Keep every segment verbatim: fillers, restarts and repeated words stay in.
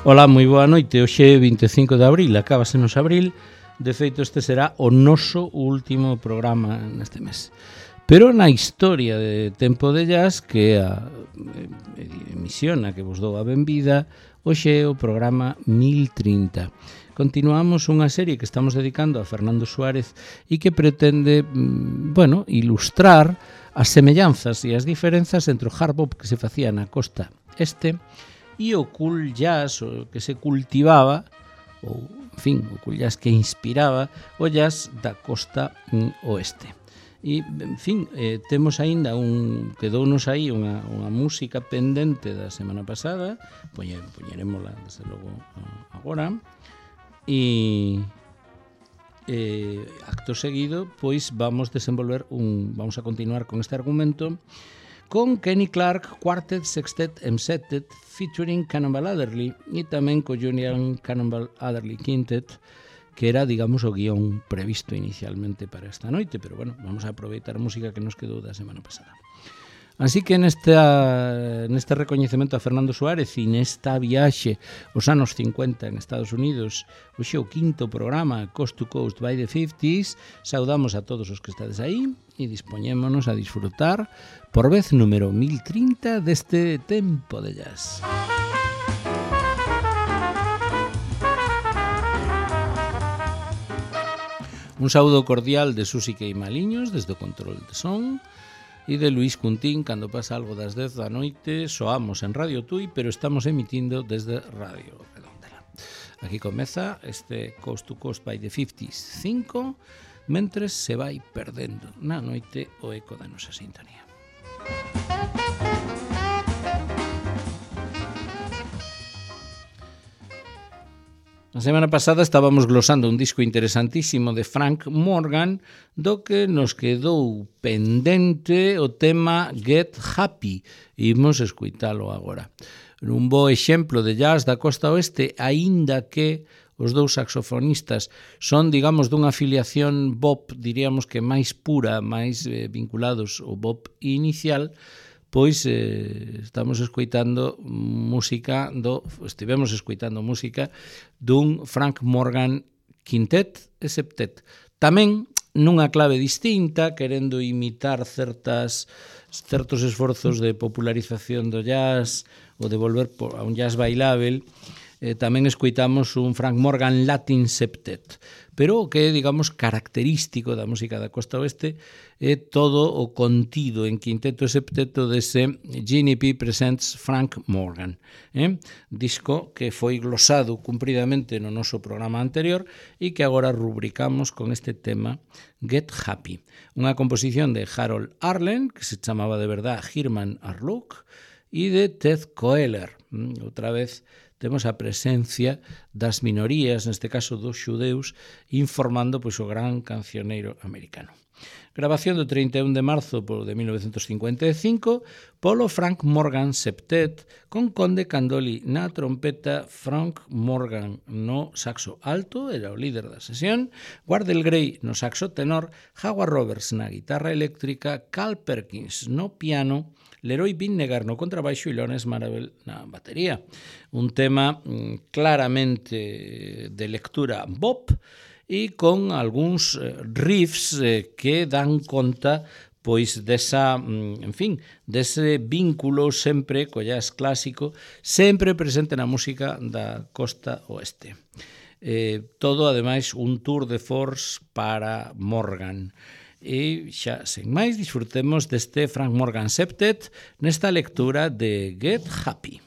Ola, moi boa noite. Hoxe é vinte e cinco de abril, acábasenos abril. De feito, este será o noso último programa neste mes. Pero na historia de Tempo de Jazz, que é a emisión a que vos dou a benvida, hoxe é o programa mil trinta. Continuamos unha serie que estamos dedicando a Fernando Suárez e que pretende, bueno, ilustrar as semellanzas e as diferenzas entre o hard bop que se facía na costa este e o cool jazz, o que se cultivaba, ou, en fin, o cool jazz que inspiraba o jazz da costa oeste. E, en fin, eh, temos aínda un, quedounos aí unha, unha música pendente da semana pasada, poñe, poñerémola, desde logo, agora, e eh, acto seguido, pois vamos desenvolver un, vamos a continuar con este argumento con Kenny Clarke Quartet, Sextet and Septet featuring Cannonball Adderley e tamén co Julian Cannonball Adderley Quintet, que era, digamos, o guión previsto inicialmente para esta noite, pero bueno, vamos a aproveitar a música que nos quedou da semana pasada. Así que nesta, neste recoñecemento a Fernando Suárez e nesta viaxe os anos cincuenta en Estados Unidos, hoxe o quinto programa Coast to Coast by the fifties, saudamos a todos os que estades aí e dispoñémonos a disfrutar por vez número mil trinta deste Tempo de Jazz. Un saúdo cordial de Susi Queimaliños desde o control de son e de Luís Cuntín cando pasa algo das dez da noite. Soamos en Radio Tui, pero estamos emitindo desde Radio Redondela. Aquí comeza este Coast to Coast by the fifties cinco, mentres se vai perdendo na noite o eco da nosa sintonía. A semana pasada estábamos glosando un disco interesantísimo de Frank Morgan, do que nos quedou pendente o tema Get Happy. Imos escuitalo agora. Un bo exemplo de jazz da costa oeste, aínda que os dous saxofonistas son, digamos, dunha afiliación bop, diríamos que máis pura, máis eh, vinculados ao bop inicial, pois eh, estamos escoitando música do, estivemos escoitando música dun Frank Morgan Quintet e Septet. Tamén nunha clave distinta, querendo imitar certas certos esforzos de popularización do jazz ou de volver a un jazz bailável. Eh, tamén escoitamos un Frank Morgan Latin Septet. Pero o que é, digamos, característico da música da costa oeste é todo o contido en quinteto e septeto dese Ginny P Presents Frank Morgan. Eh? Disco que foi glosado cumpridamente no noso programa anterior e que agora rubricamos con este tema Get Happy. Unha composición de Harold Arlen, que se chamaba de verdad Herman Arluk, e de Ted Koehler. Outra vez temos a presencia das minorías, neste caso dos xudeus, informando pois, o gran cancioneiro americano. Grabación do trinta e un de marzo de mil novecentos cincuenta e cinco polo Frank Morgan Septet, con Conde Candoli na trompeta, Frank Morgan no saxo alto, era o líder da sesión, Wardell Gray no saxo tenor, Howard Roberts na guitarra eléctrica, Carl Perkins no piano, Leroy Vinnegar no contrabaixo e Lawrence Marabel na batería. Un tema mm, claramente de lectura bop e con algúns riffs eh, que dan conta pois desa, en fin, dese vínculo sempre co jazz clásico, sempre presente na música da costa oeste. Eh, todo, ademais, un tour de force para Morgan. E xa, sen máis, disfrutemos deste Frank Morgan Septet nesta lectura de Get Happy.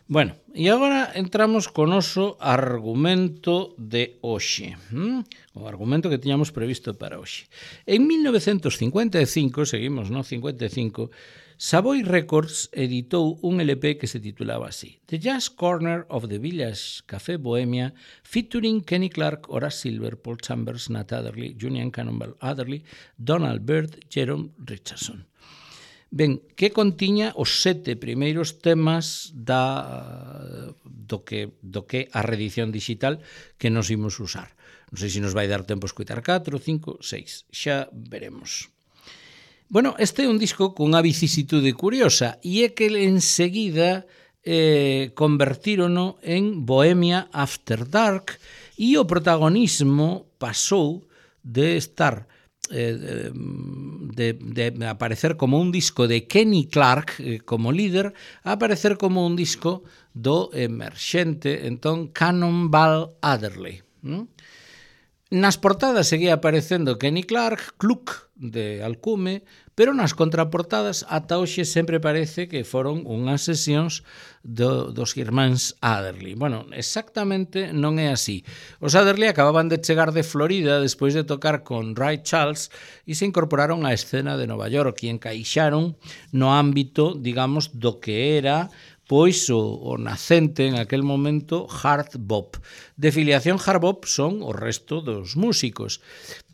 Bueno, e agora entramos co noso argumento de hoxe. ¿Mm? O argumento que tiñamos previsto para hoxe. En mil novecentos cincuenta e cinco, seguimos no cincuenta e cinco, Savoy Records editou un L P que se titulaba así: The Jazz Corner of the Village Café Bohemia, featuring Kenny Clarke, Horace Silver, Paul Chambers, Nat Adderley, Julian Cannonball Adderley, Donald Byrd, Jerome Richardson. Ben, que contiña os sete primeiros temas da, do, que, do que a reedición digital que nos imos usar. Non sei se nos vai dar tempo a escoitar catro, cinco, seis, xa veremos. Bueno, este é un disco cunha vicisitude curiosa, e é que enseguida eh, convertírono en Bohemia After Dark, e o protagonismo pasou de estar De, de aparecer como un disco de Kenny Clarke eh, como líder, a aparecer como un disco do emerxente entón Cannonball Adderley. ¿No? Nas portadas seguía aparecendo Kenny Clarke, Cluck de alcume, pero nas contraportadas ata hoxe sempre parece que foron unhas sesións do, dos irmáns Adderley. Bueno, exactamente non é así. Os Adderley acababan de chegar de Florida despois de tocar con Ray Charles e se incorporaron á escena de Nova York e encaixaron no ámbito, digamos, do que era pois o, o nacente en aquel momento hard bop. De filiación hard bop son o resto dos músicos,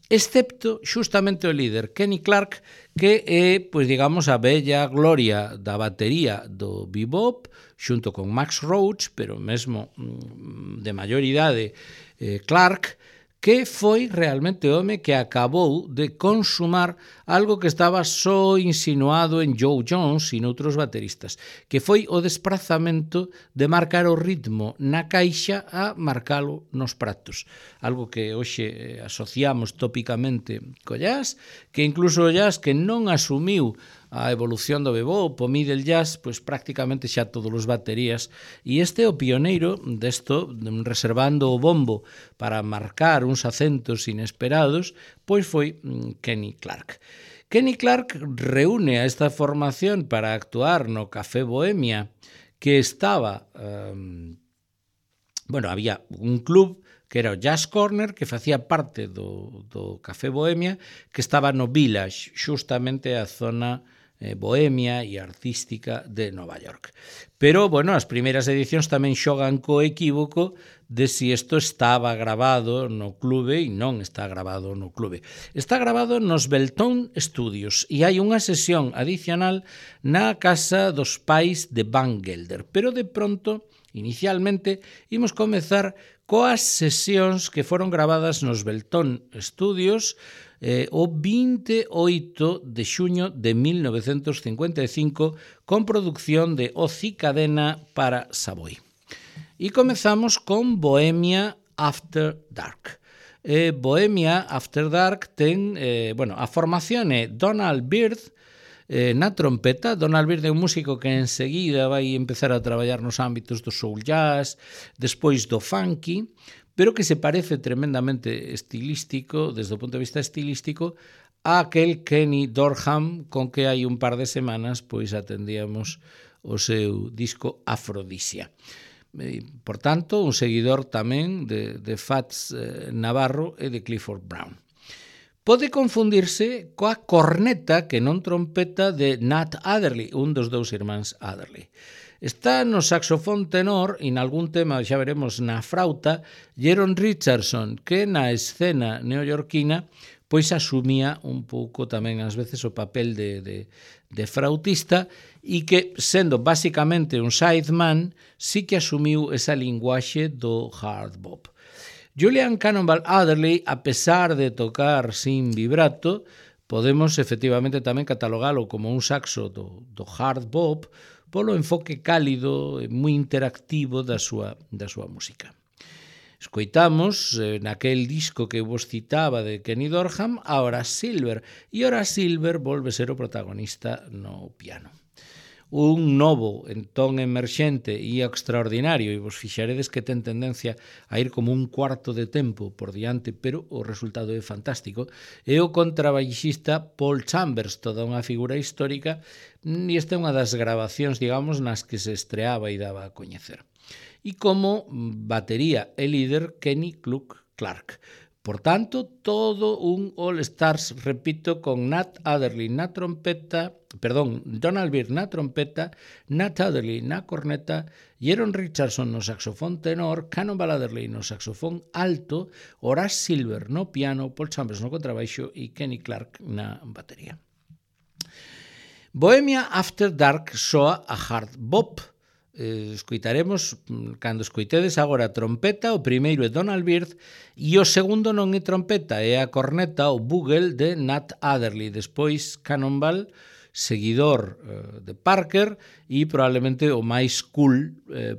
excepto xustamente o líder Kenny Clarke, que é, pois digamos, a bella gloria da batería do bebop, xunto con Max Roach, pero mesmo de maior idade, eh, Clarke, que foi realmente o home que acabou de consumar algo que estaba só insinuado en Joe Jones e noutros bateristas, que foi o desprazamento de marcar o ritmo na caixa a marcalo nos pratos. Algo que hoxe asociamos tópicamente co jazz, que incluso o jazz que non asumiu a evolución do bebop, o middle jazz, pois prácticamente xa todos os baterías, e este é o pioneiro desto, reservando o bombo para marcar uns acentos inesperados, pois foi Kenny Clarke. Kenny Clarke reúne a esta formación para actuar no Café Bohemia, que estaba, um, bueno, había un club que era o Jazz Corner, que facía parte do, do Café Bohemia, que estaba no Village, xustamente a zona bohemia e artística de Nova York. Pero, bueno, as primeiras edicións tamén xogan co equívoco de si isto estaba grabado no clube e non está grabado no clube. Está grabado nos Beltone Studios e hai unha sesión adicional na casa dos pais de Van Gelder. Pero de pronto, inicialmente, imos comezar coas sesións que foron gravadas nos Beltone Studios eh, o vinte e oito de xuño de mil novecentos cincuenta e cinco con producción de Ozzy Cadena para Savoy. E comezamos con Bohemia After Dark. Eh, Bohemia After Dark ten, eh, bueno, a formación é Donald Byrd eh, na trompeta. Donald Byrd é un músico que enseguida vai empezar a traballar nos ámbitos do soul jazz, despois do funky, pero que se parece tremendamente estilístico, desde o punto de vista estilístico, a aquel Kenny Dorham con que hai un par de semanas pois atendíamos o seu disco Afrodisia. Por tanto, un seguidor tamén de, de Fats eh, Navarro e de Clifford Brown. Pode confundirse coa corneta que non trompeta de Nat Adderley, un dos dous irmáns Adderley. Está no saxofón tenor e nalgún tema, xa veremos, na frauta, Jerome Richardson, que na escena neoyorquina pois asumía un pouco tamén ás veces o papel de, de, de frautista e que, sendo basicamente un sideman, sí que asumiu esa linguaxe do hard bop. Julian Cannonball Adderley, a pesar de tocar sin vibrato, podemos efectivamente tamén catalogalo como un saxo do, do hard bop, polo enfoque cálido e moi interactivo da súa, da súa música. Escoitamos eh, naquel disco que vos citaba de Kenny Dorham a Horace Silver, e Horace Silver volve ser o protagonista no piano. un novo entón emerxente e extraordinario, e vos fixaredes que ten tendencia a ir como un cuarto de tempo por diante, pero o resultado é fantástico, é o contrabaixista Paul Chambers, toda unha figura histórica, e esta é unha das grabacións, digamos, nas que se estreaba e daba a coñecer. E como batería e líder Kenny Clark. Por tanto, todo un All-Stars, repito, con Nat Adderley na trompeta, perdón, Donald Byrd na trompeta, Nat Adderley na corneta, Jeron Richardson no saxofón tenor, Cannonball Adderley no saxofón alto, Horace Silver no piano, Paul Chambers no contrabaixo e Kenny Clark na batería. Bohemia After Dark soa a hard bop. Eh, escoitaremos, cando escoitedes agora a trompeta, o primeiro é Donald Byrd e o segundo non é trompeta, é a corneta, o bugle de Nat Adderley, despois Cannonball, seguidor eh, de Parker e probablemente o máis cool eh,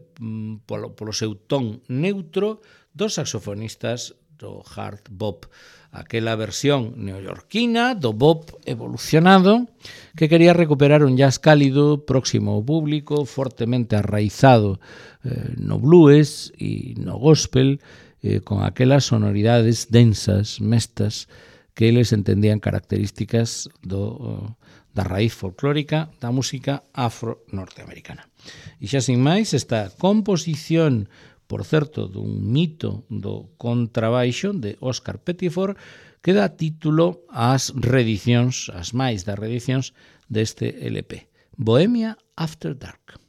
polo, polo seu ton neutro dos saxofonistas do hard bop, aquela versión neoyorquina do bop evolucionado que quería recuperar un jazz cálido, próximo ao público, fortemente arraizado eh, no blues e no gospel, eh, con aquelas sonoridades densas, mestas, que eles entendían características do, da raíz folclórica da música afro-norteamericana. E xa sin máis, esta composición, por certo, dun mito do contrabaixo de Oscar Pettiford, que dá título ás reedicións, as máis das reedicións deste L P. Bohemia After Dark.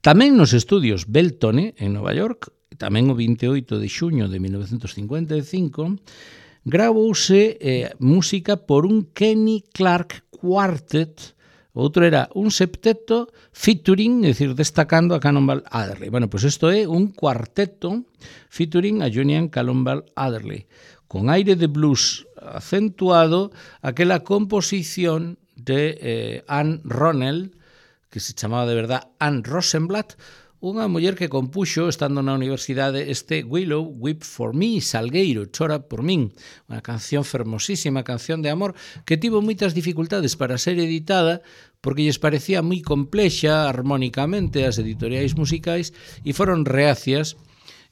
Tamén nos estudios Beltone, en Nova York, tamén o vinte e oito de xuño de mil novecentos cincuenta e cinco, gravouse eh, música por un Kenny Clarke Quartet, outro era un septeto featuring, é dicir, destacando a Cannonball Adderley. Bueno, pois isto é un cuarteto featuring a Julian Cannonball Adderley, con aire de blues acentuado, aquela composición de eh, Anne Ronell, que se chamaba de verdad Anne Rosenblatt, unha muller que compuxo, estando na universidade, este Willow, Weep for Me, Salgueiro, Chora por min, unha canción fermosísima, canción de amor, que tivo moitas dificultades para ser editada, porque lles parecía moi complexa armónicamente as editoriais musicais, e foron reacias.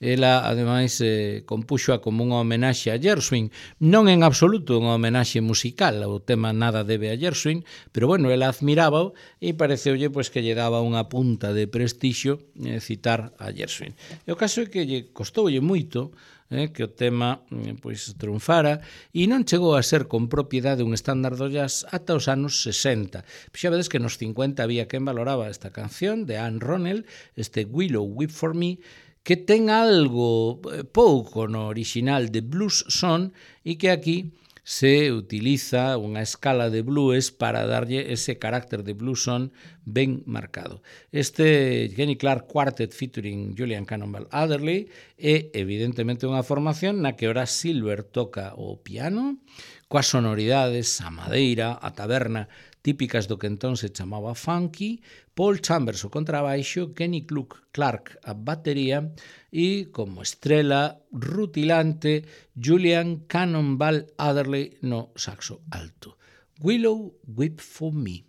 Ela, ademais, eh, compuxoa como unha homenaxe a Gershwin, non en absoluto unha homenaxe musical, o tema nada debe a Gershwin, pero bueno, ela admirábao e pareceulle pois, que lle daba unha punta de prestixio eh, citar a Gershwin. E o caso é que lle costoulle moito eh, que o tema eh, pois, triunfara e non chegou a ser con propiedade un estándar do jazz ata os anos sesenta. Xa vedes que nos cincuenta había quen valoraba esta canción de Anne Ronell, este Willow, Weep for Me, que ten algo pouco no original de blues son e que aquí se utiliza unha escala de blues para darlle ese carácter de blues son ben marcado. Este Kenny Clarke Quartet featuring Julian Cannonball Adderley é evidentemente unha formación na que Horace Silver toca o piano, coas sonoridades, a madeira, a taberna, típicas do que entón se chamaba funky, Paul Chambers o contrabaixo, Kenny Clarke a batería e, como estrela rutilante, Julian Cannonball Adderley no saxo alto. Willow, Weep for Me.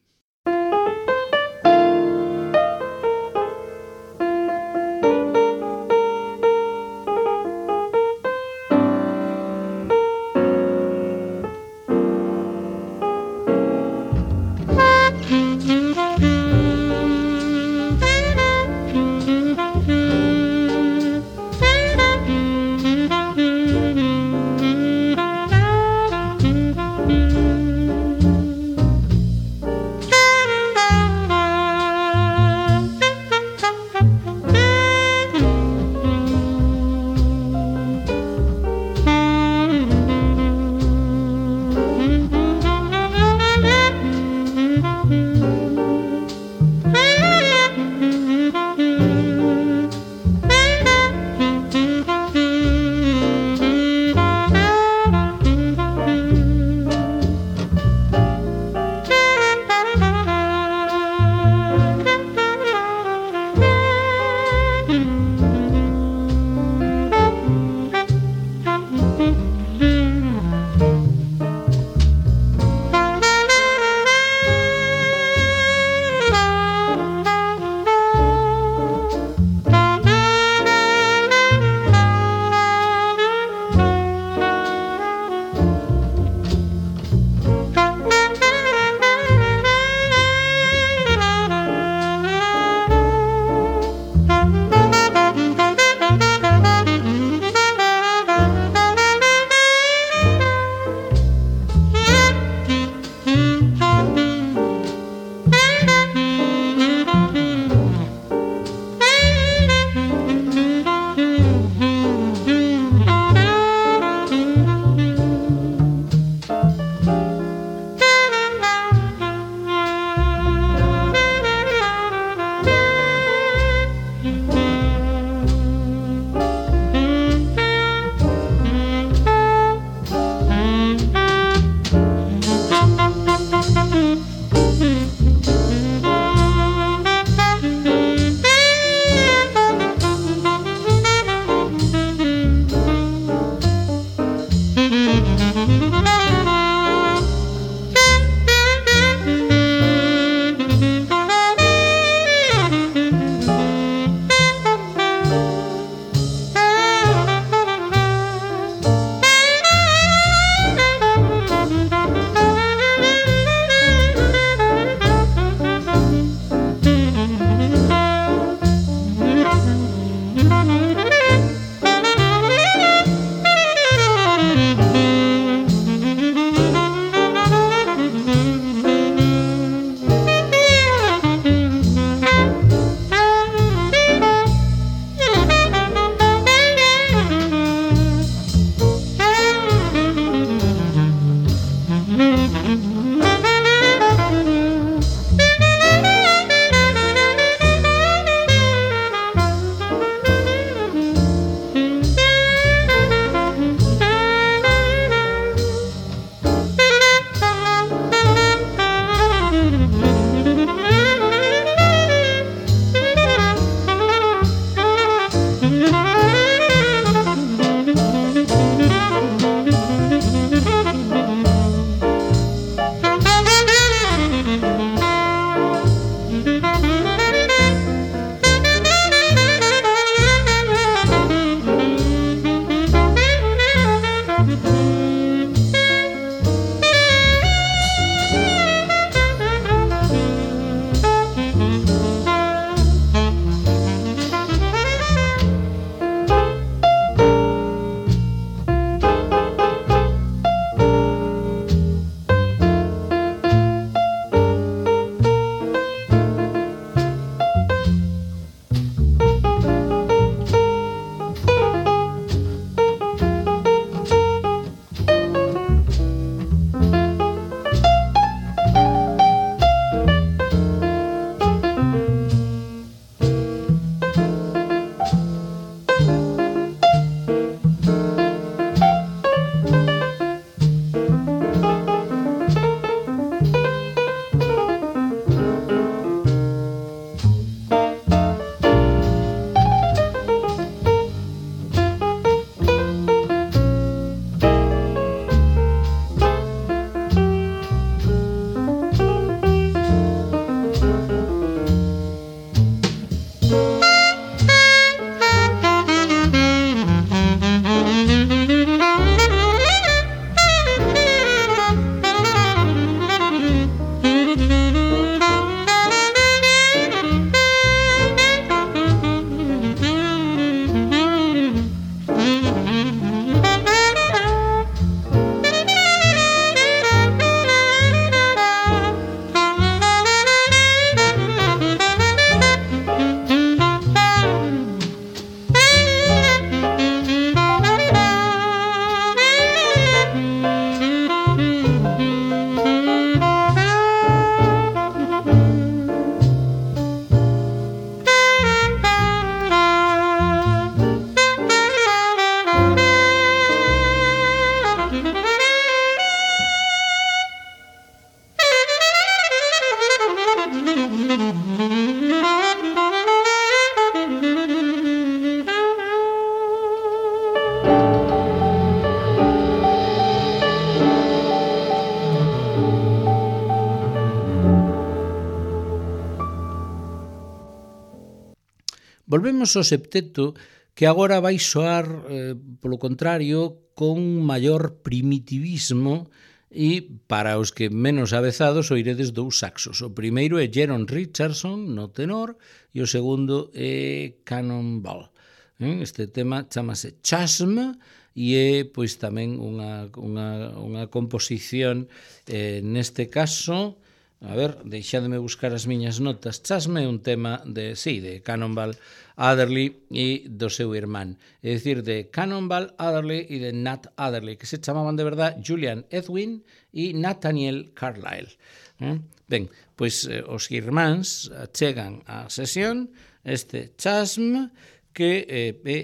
Volvemos ao septeto, que agora vai soar, eh, polo contrario, con maior primitivismo, e para os que menos avezados oiredes dous saxos. O primeiro é Jeron Richardson no tenor e o segundo é Cannonball. Este tema chamase Chasm e é pois tamén unha, unha, unha composición eh, neste caso, a ver, deixademe buscar as miñas notas. Chasm é un tema de, sí, de Cannonball Adderley e do seu irmán, é dicir, de Cannonball Adderley e de Nat Adderley, que se chamaban de verdad Julian Edwin e Nathaniel Carlyle. Eh? Ben, pois eh, os irmáns chegan á sesión este Chasm, que eh, é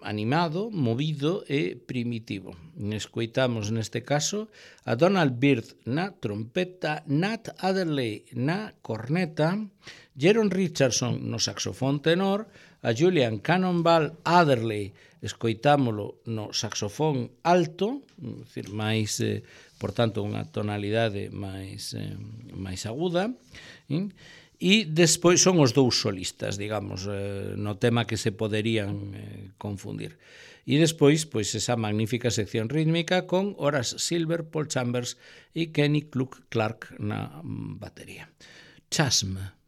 animado, movido e primitivo. Escoitamos neste caso a Donald Byrd na trompeta, Nat Adderley na corneta, Jeron Richardson no saxofón tenor, a Julian Cannonball Adderley escoitámolo no saxofón alto, decir, máis, eh, por tanto, unha tonalidade máis, eh, máis aguda, eh? E despois son os dous solistas, digamos, eh, no tema que se poderían eh, confundir. E despois, pois, esa magnífica sección rítmica con Horace Silver, Paul Chambers e Kenny Klug Clark na batería. Chasm.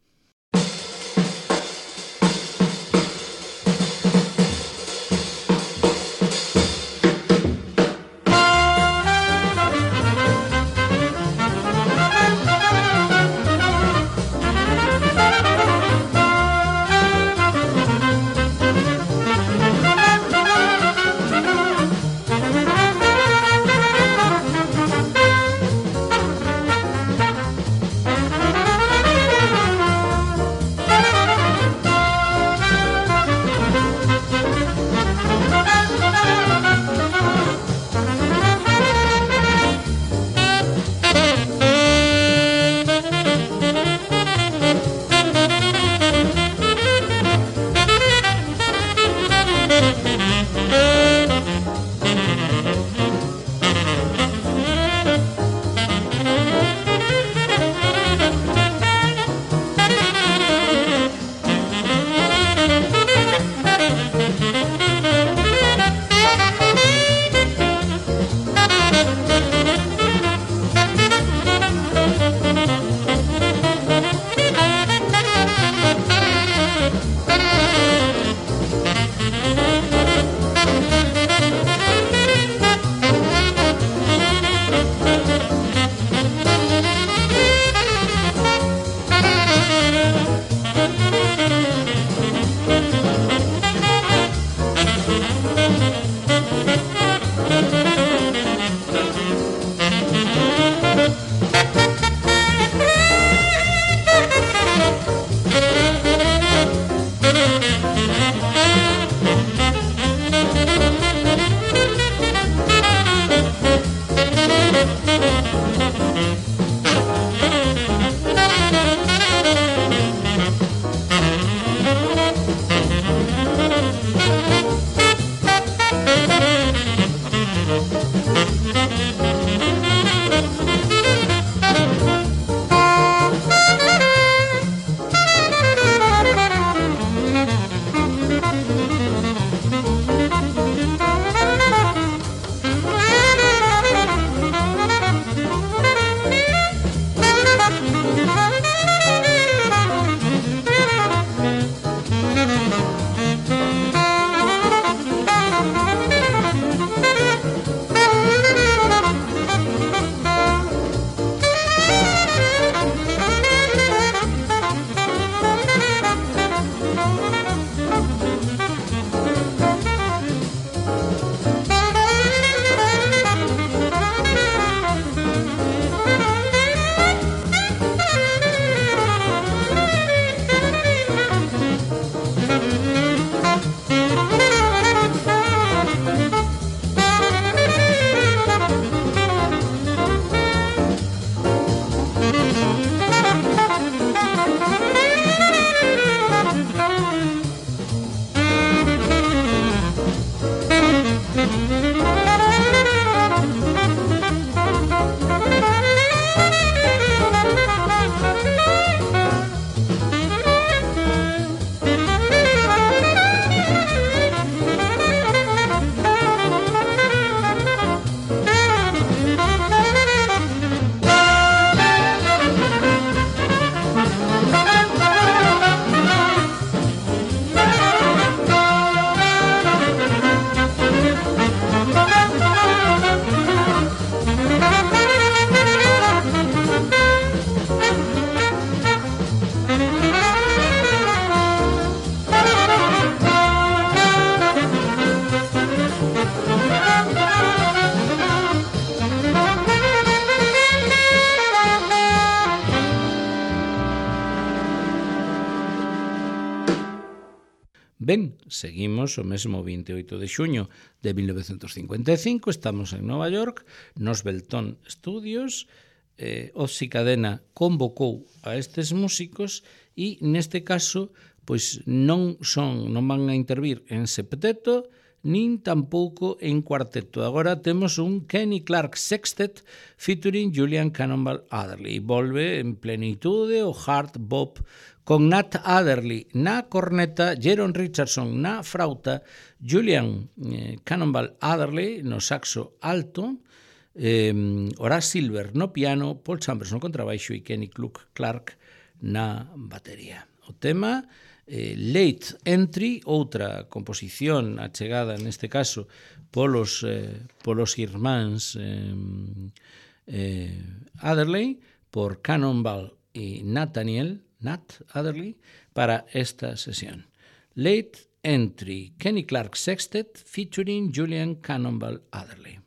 Ben, seguimos o mesmo vinte e oito de xuño de mil novecentos cincuenta e cinco, estamos en Nova York, nos Belton Studios, eh, Ozzy Cadena convocou a estes músicos e neste caso pois non son non van a intervir en septeto nin tampouco en cuarteto. Agora temos un Kenny Clarke Sextet featuring Julian Cannonball Adderley. Volve en plenitude o hard bop con Nat Adderley na corneta, Jeron Richardson na frauta, Julian eh, Cannonball Adderley no saxo alto, eh, Horace Silver no piano, Paul Chambers no contrabaixo e Kenny Clarke na batería. O tema eh, Late Entry, outra composición achegada neste caso polos, eh, polos irmáns eh, eh, Adderley, por Cannonball e Nathaniel Nat Adderley para esta sesión. Late Entry, Kenny Clarke Sextet featuring Julian Cannonball Adderley.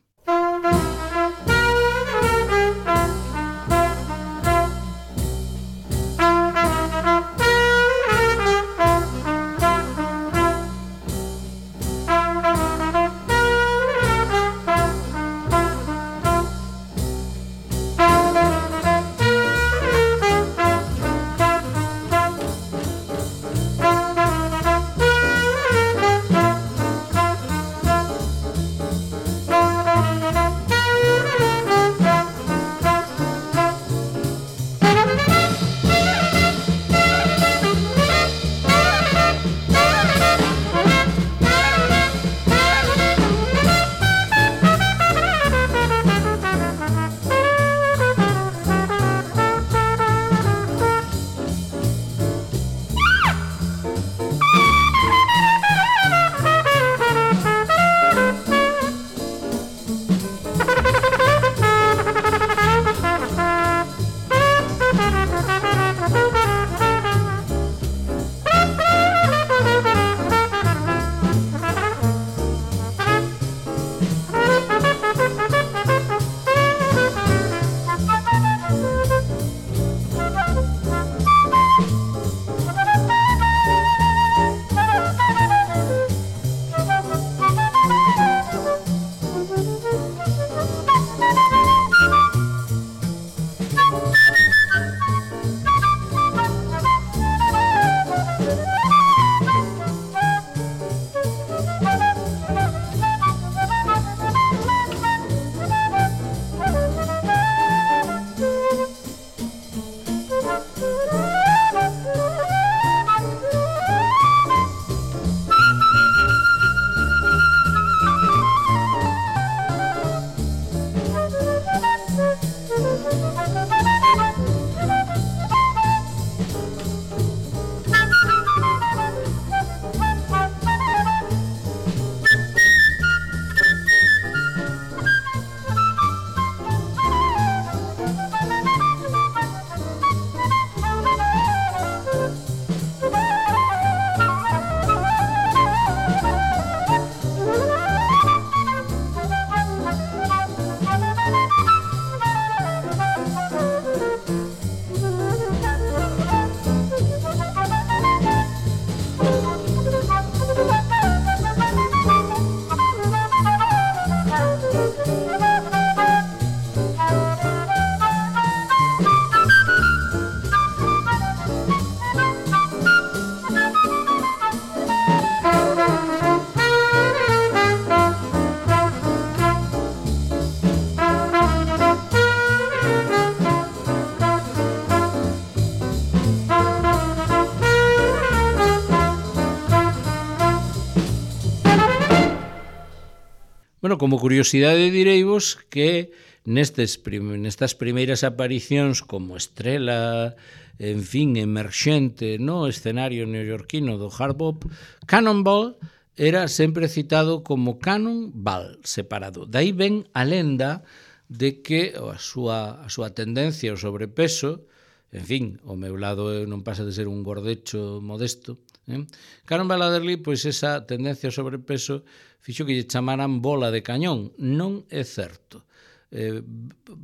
Bueno, como curiosidade direivos que nestes prim nestas primeiras aparicións como estrela, en fin, emerxente no escenario neoyorquino do hard bop, Cannonball era sempre citado como Cannonball separado. Daí ven a lenda de que a súa, a súa tendencia ao sobrepeso, en fin, o meu lado non pasa de ser un gordecho modesto, eh? Cannonball Adderley, pois esa tendencia ao sobrepeso fixo que lle chamaran bola de cañón. Non é certo. Eh,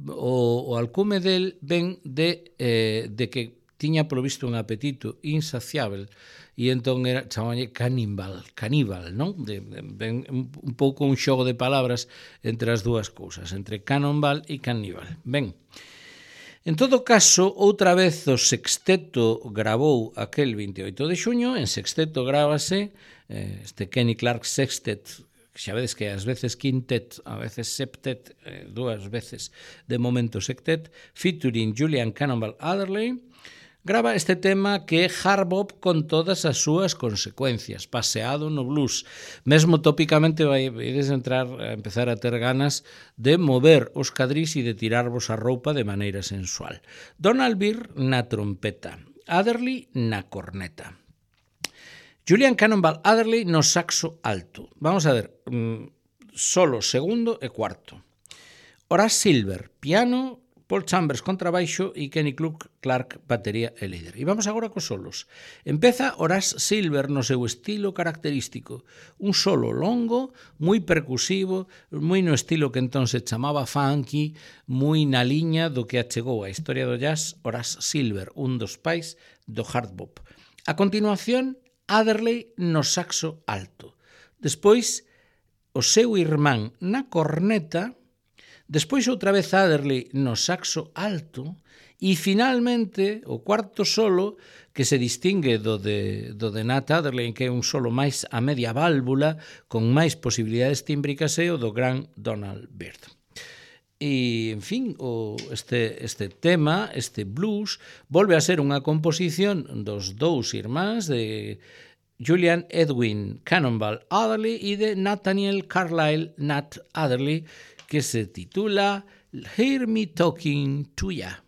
o, o alcume del ven de, eh, de que tiña polo visto un apetito insaciável e entón era, chamalle caníbal, caníbal, non? De, de, de, un, un pouco un xogo de palabras entre as dúas cousas, entre cannonball e caníbal. Ben, en todo caso, outra vez o sexteto gravou aquel veintioito de xuño, en sexteto grábase eh, este Kenny Clarke Sextet, xa vedes que ás veces quintet, a veces septet, eh, dúas veces de momento sextet, featuring Julian Cannonball Adderley, grava este tema que é hard bop con todas as súas consecuencias, paseado no blues. Mesmo tópicamente vai ides entrar a empezar a ter ganas de mover os cadrís e de tirarvos a roupa de maneira sensual. Donald Byrd na trompeta, Adderley na corneta. Julian Cannonball Adderley no saxo alto. Vamos a ver, solo segundo e cuarto. Horace Silver, piano, Paul Chambers contrabaixo e Kenny Clarke batería e líder. E vamos agora cos solos. Empeza Horace Silver no seu estilo característico. Un solo longo, moi percusivo, moi no estilo que entón se chamaba funky, moi na liña do que achegou a historia do jazz Horace Silver, un dos pais do hard bop. A continuación, Adderley no saxo alto. Despois, o seu irmán na corneta. Despois outra vez Adderley no saxo alto e finalmente o cuarto solo que se distingue do de, do de Nat Adderley, que é un solo máis a media válvula con máis posibilidades tímbricas e o do gran Donald Byrd. E, en fin, o, este, este tema, este blues, volve a ser unha composición dos dous irmáns de Julian Edwin Cannonball Adderley e de Nathaniel Carlyle Nat Adderley, que se titula Hear Me Talking to Ya.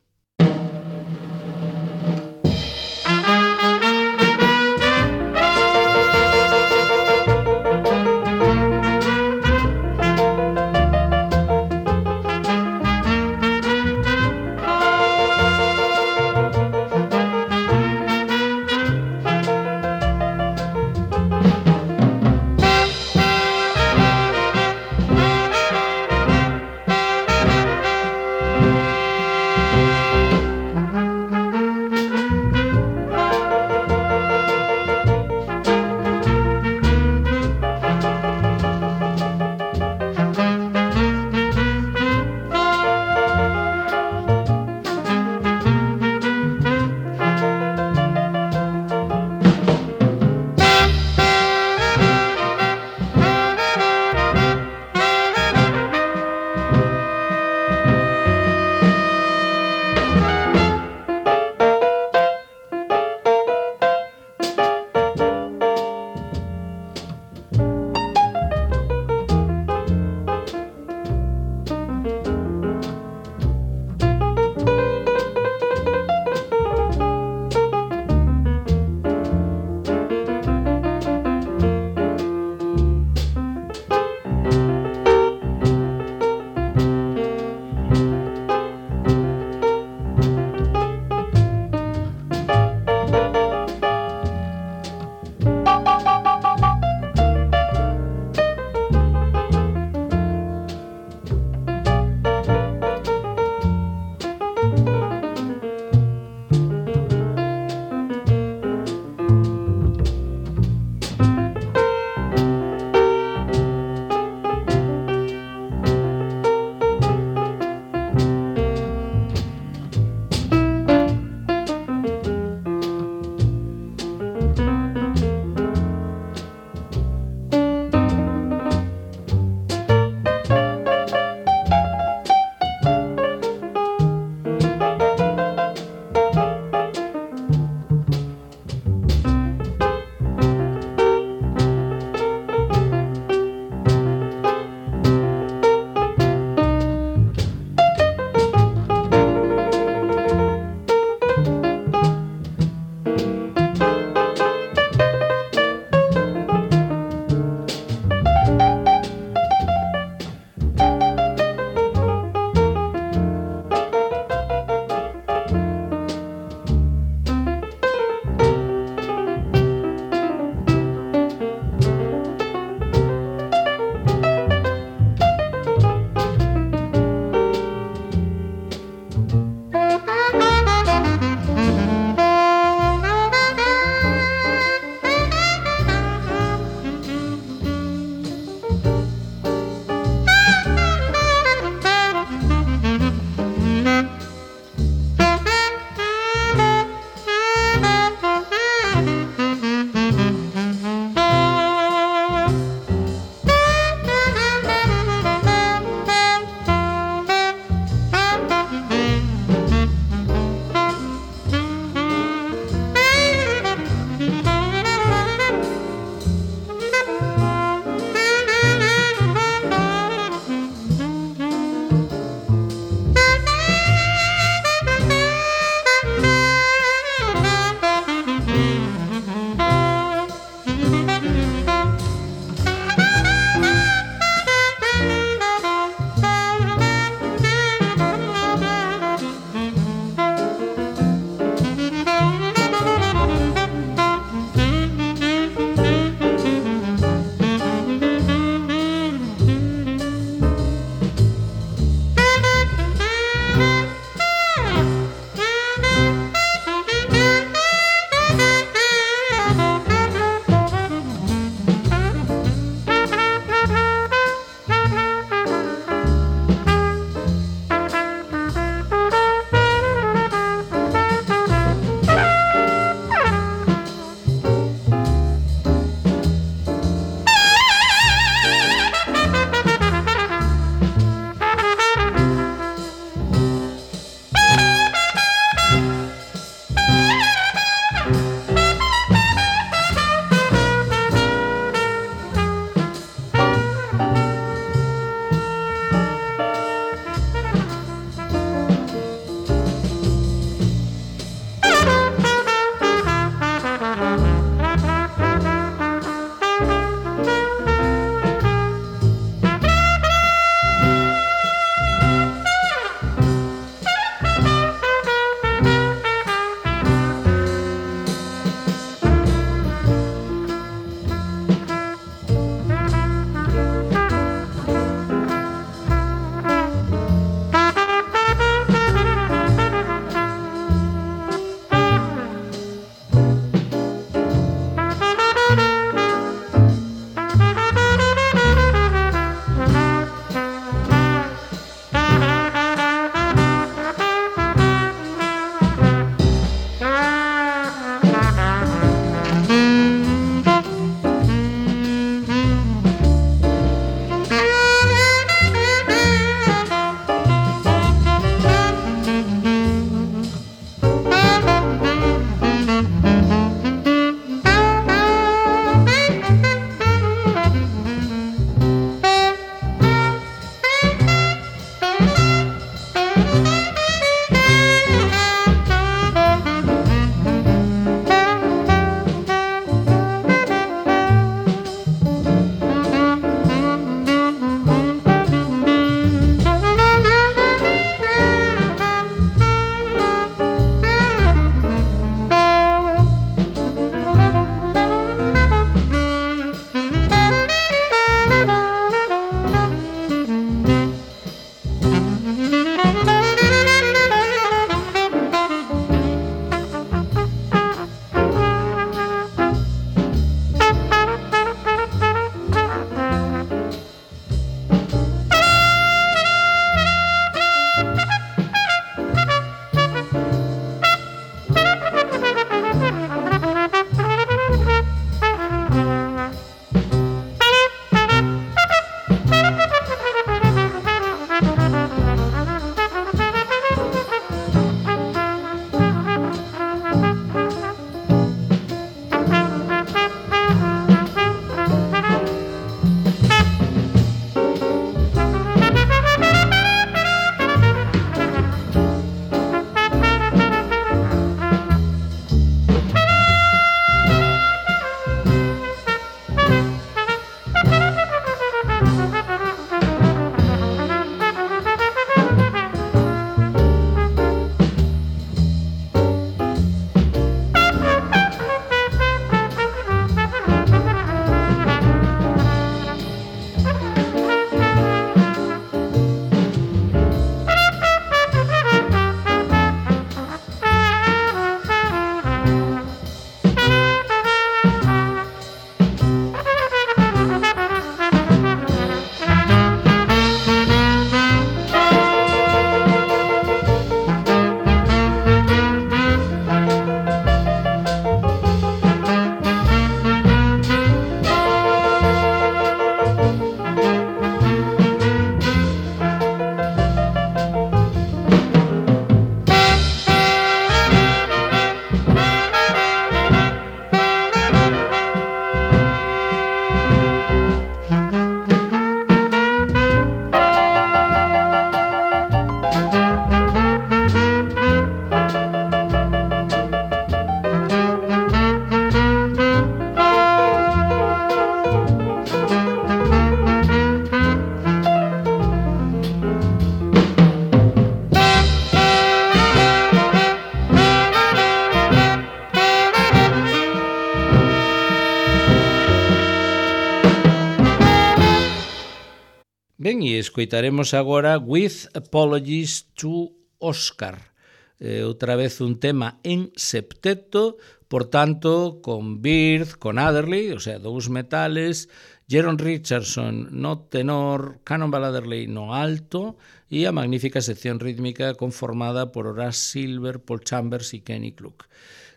Ben, e escoitaremos agora With Apologies to Oscar. Eh, outra vez un tema en septeto, por tanto, con Byrd, con Adderley, o sea, dous metales, Jeron Richardson no tenor, Cannonball Adderley no alto, e a magnífica sección rítmica conformada por Horace Silver, Paul Chambers e Kenny Clark.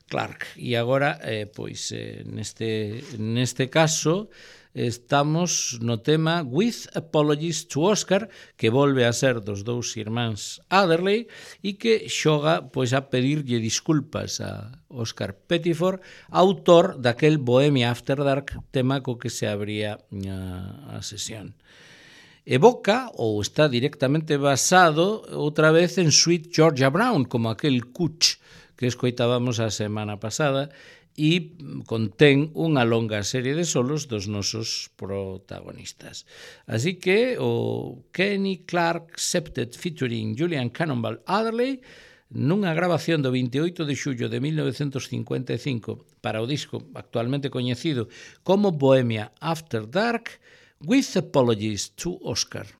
Clark. E agora, eh, pois, eh, neste, neste caso, estamos no tema With Apologies to Oscar, que volve a ser dos dous irmáns Adderley e que xoga pois a pedirlle disculpas a Oscar Pettiford, autor daquel Bohemia After Dark, tema co que se abría a, a sesión. Evoca, ou está directamente basado, outra vez en Sweet Georgia Brown, como aquel Cooch que escoitábamos a semana pasada, e contén unha longa serie de solos dos nosos protagonistas. Así que o Kenny Clark Septet featuring Julian Cannonball Adderley nunha grabación do veintioito de xullo de mil novecentos cincuenta e cinco para o disco actualmente coñecido como Bohemia After Dark, With Apologies to Oscar.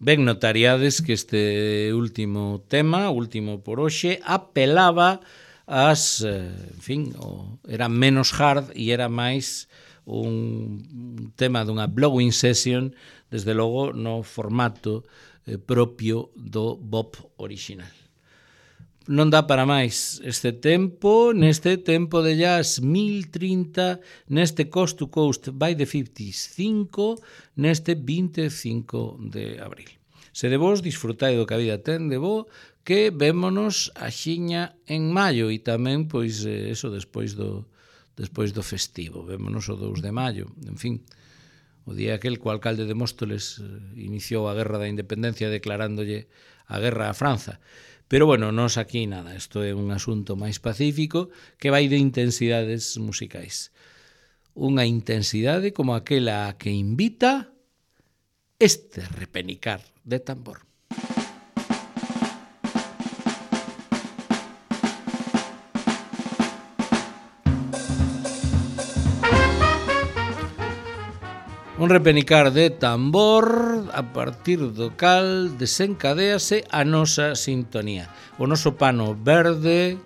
Ben notariades que este último tema, último por hoxe, apelaba as, en fin, o, era menos hard e era máis un tema dunha blowing session, desde logo no formato eh, propio do bop original. Non dá para máis este tempo, neste tempo de jazz mil trinta, neste Coast to Coast by the fifties cinco, neste vinte e cinco de abril. Se de vos disfrutai do que a vida ten de bo, que vémonos a xiña en maio e tamén, pois, eso despois do, despois do festivo. Vémonos o dous de maio, en fin, o día aquel que o alcalde de Móstoles iniciou a Guerra da Independencia declarándolle a guerra a Franza. Pero, bueno, nos aquí nada, isto é un asunto máis pacífico que vai de intensidades musicais. Unha intensidade como aquela que invita este repenicar de tambor. Un repenicar de tambor a partir do cal desencadéase a nosa sintonía. O noso pano verde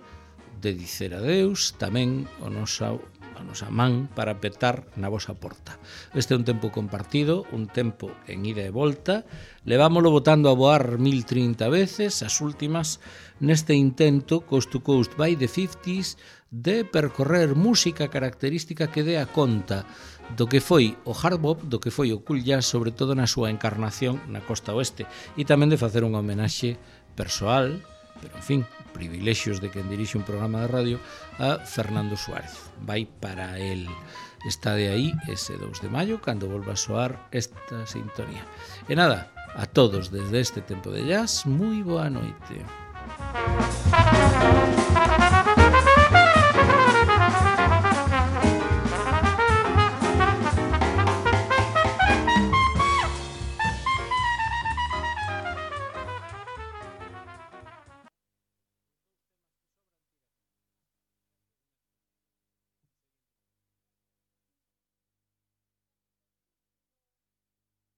de dicer adeus, tamén o nosa, a nosa man para petar na vosa porta. Este é un tempo compartido, un tempo en ida e volta. Levámolo botando a voar mil trinta veces, as últimas, neste intento Coast to Coast by the fifties de percorrer música característica que dé a conta do que foi o hard bop, do que foi o cool jazz, sobre todo na súa encarnación na costa oeste, e tamén de facer unha homenaxe persoal, pero en fin, privilexios de quen dirixe un programa de radio, a Fernando Suárez. Vai para el. Está de aí ese dous de maio, cando volva a soar esta sintonía. E nada, a todos desde este tempo de jazz, moi boa noite.